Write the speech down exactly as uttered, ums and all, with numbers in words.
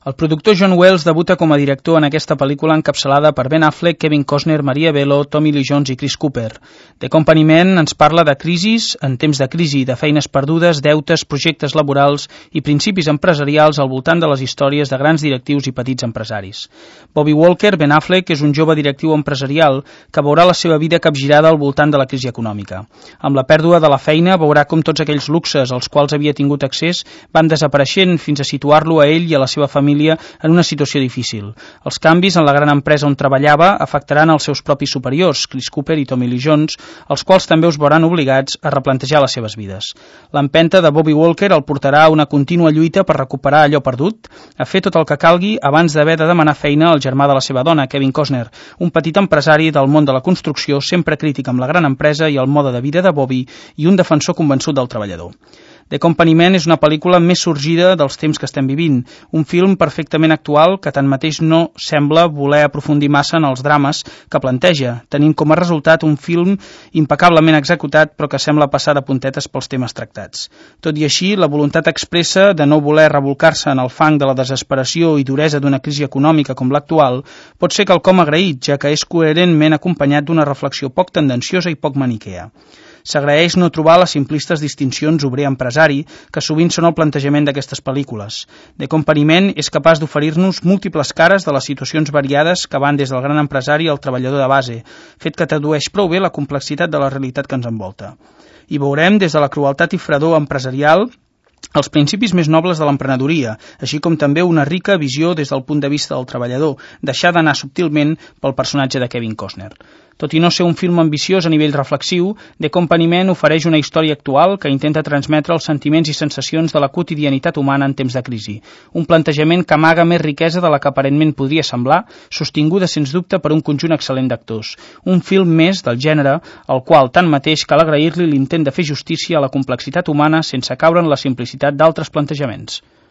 El productor John Wells debuta com a director en aquesta pel·lícula encapçalada per Ben Affleck, Kevin Costner, Maria Bello, Tommy Lee Jones i Chris Cooper. The Company Man ens parla de crisis, en temps de crisi, de feines perdudes, deutes, projectes laborals i principis empresarials al voltant de les històries de grans directius i petits empresaris. Bobby Walker, Ben Affleck, és un jove directiu empresarial que veurà la seva vida capgirada al voltant de la crisi econòmica. Amb la pèrdua de la feina veurà com tots aquells luxes als quals havia tingut accés van desapareixent fins a situar-lo a ell i a la seva família en una situació difícil. Els canvis en la gran empresa on treballava afectaran els seus propis superiors, Chris Cooper i Tommy Lee Jones, els quals també us veuran obligats a replantejar les seves vides. L'empenta de Bobby Walker el portarà a una contínua lluita per recuperar allò perdut, a fer tot el que calgui abans d'haver de demanar feina al germà de la seva dona, Kevin Costner, un petit empresari del món de la construcció, sempre crític amb la gran empresa i el mode de vida de Bobby i un defensor convençut del treballador. The Company Man és una pel·lícula més sorgida dels temps que estem vivint, un film perfectament actual que tanmateix no sembla voler aprofundir massa en els drames que planteja, tenint com a resultat un film impecablement executat però que sembla passar de puntetes pels temes tractats. Tot i així, la voluntat expressa de no voler rebolcar-se en el fang de la desesperació i duresa d'una crisi econòmica com l'actual pot ser quelcom agraït, ja que és coherentment acompanyat d'una reflexió poc tendenciosa i poc maniquea. S'agraeix no trobar les simplistes distincions obrer-empresari que sovint són el plantejament d'aquestes pel·lícules. The Company Man és capaç d'oferir-nos múltiples cares de les situacions variades que van des del gran empresari al treballador de base, fet que tradueix prou bé la complexitat de la realitat que ens envolta. I veurem des de la crueltat i fredor empresarial els principis més nobles de l'emprenedoria, així com també una rica visió des del punt de vista del treballador, deixada d'anar subtilment pel personatge de Kevin Costner. Tot i no ser un film ambiciós a nivell reflexiu, The Company Man ofereix una història actual que intenta transmetre els sentiments i sensacions de la quotidianitat humana en temps de crisi. Un plantejament que amaga més riquesa de la que aparentment podria semblar, sostinguda sens dubte per un conjunt excel·lent d'actors. Un film més del gènere, al qual tanmateix cal agrair-li l'intent de fer justícia a la complexitat humana sense caure en la simplicitat d'altres plantejaments.